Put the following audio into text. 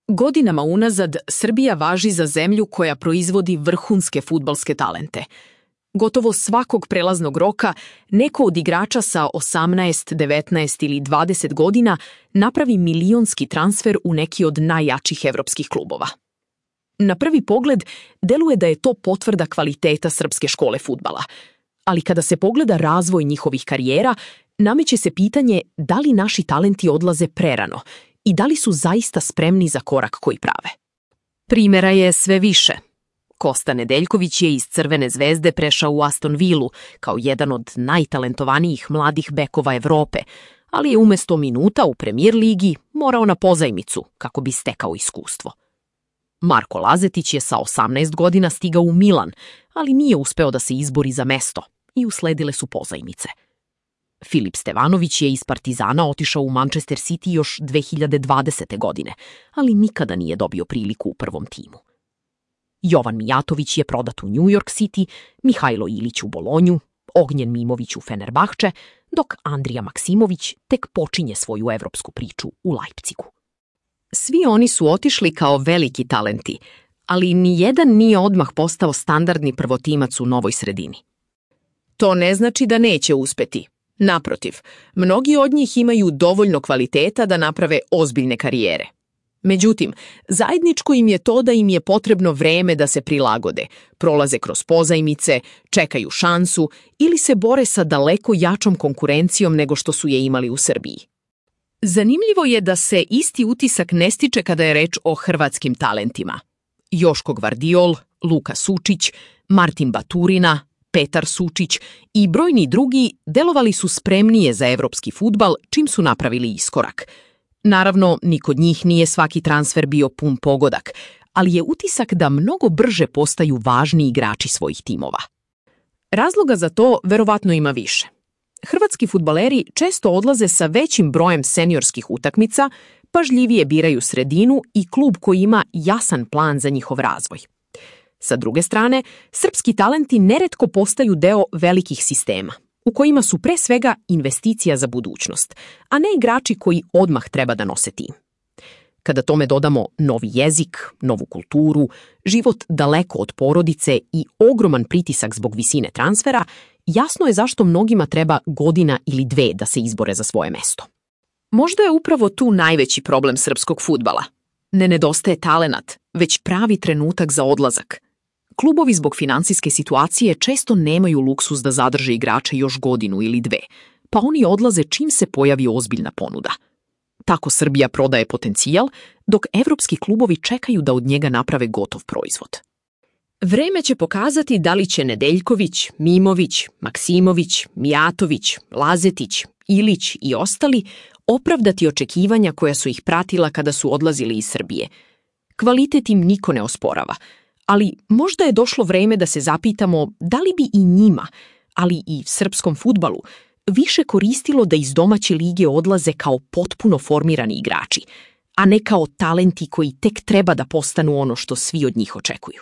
Godinama unazad Srbija važi za zemlju koja proizvodi vrhunske fudbalske talente. Gotovo svakog prelaznog roka neko od igrača sa 18, 19 ili 20 godina napravi milionski transfer u neki od najjačih evropskih klubova. Na prvi pogled deluje da je to potvrda kvaliteta srpske škole fudbala, ali kada se pogleda razvoj njihovih karijera, nameće se pitanje da li naši talenti odlaze prerano i da li su zaista spremni za korak koji prave. Primjera je sve više. Kosta Nedeljković je iz Crvene zvezde prešao u Aston Villu kao jedan od najtalentovanijih mladih bekova Evrope, ali je umjesto minuta u Premier ligi morao na pozajmicu kako bi stekao iskustvo. Marko Lazetić je sa 18 godina stigao u Milan, ali nije uspeo da se izbori za mesto i usledile su pozajmice. Filip Stevanović je iz Partizana otišao u Manchester City još 2020. godine, ali nikada nije dobio priliku u prvom timu. Jovan Mijatović je prodat u New York City, Mihajlo Ilić u Bolonju, Ognjen Mimović u Fenerbahče, dok Andrija Maksimović tek počinje svoju evropsku priču u Leipzigu. Svi oni su otišli kao veliki talenti, ali nijedan nije odmah postao standardni prvotimac u novoj sredini. To ne znači da neće uspeti. Naprotiv, mnogi od njih imaju dovoljno kvaliteta da naprave ozbiljne karijere. Međutim, zajedničko im je to da im je potrebno vreme da se prilagode, prolaze kroz pozajmice, čekaju šansu ili se bore sa daleko jačom konkurencijom nego što su je imali u Srbiji. Zanimljivo je da se isti utisak ne stiče kada je reč o hrvatskim talentima. Joško Gvardiol, Luka Sučić, Martin Baturina, Petar Sučić i brojni drugi delovali su spremnije za evropski fudbal čim su napravili iskorak. Naravno, ni kod njih nije svaki transfer bio pun pogodak, ali je utisak da mnogo brže postaju važni igrači svojih timova. Razloga za to verovatno ima više. Hrvatski fudbaleri često odlaze sa većim brojem seniorskih utakmica, pažljivije biraju sredinu i klub koji ima jasan plan za njihov razvoj. Sa druge strane, srpski talenti neretko postaju deo velikih sistema, u kojima su pre svega investicija za budućnost, a ne igrači koji odmah treba da nose tim. Kada tome dodamo novi jezik, novu kulturu, život daleko od porodice i ogroman pritisak zbog visine transfera, jasno je zašto mnogima treba godina ili dve da se izbore za svoje mesto. Možda je upravo tu najveći problem srpskog fudbala. Ne nedostaje talenat, već pravi trenutak za odlazak. Klubovi zbog finansijske situacije često nemaju luksuz da zadrže igrače još godinu ili dve, pa oni odlaze čim se pojavi ozbiljna ponuda. Tako Srbija prodaje potencijal, dok evropski klubovi čekaju da od njega naprave gotov proizvod. Vreme će pokazati da li će Nedeljković, Mimović, Maksimović, Mijatović, Lazetić, Ilić i ostali opravdati očekivanja koja su ih pratila kada su odlazili iz Srbije. Kvalitet im niko ne osporava, ali možda je došlo vreme da se zapitamo da li bi i njima, ali i srpskom fudbalu, više koristilo da iz domaće lige odlaze kao potpuno formirani igrači, a ne kao talenti koji tek treba da postanu ono što svi od njih očekuju.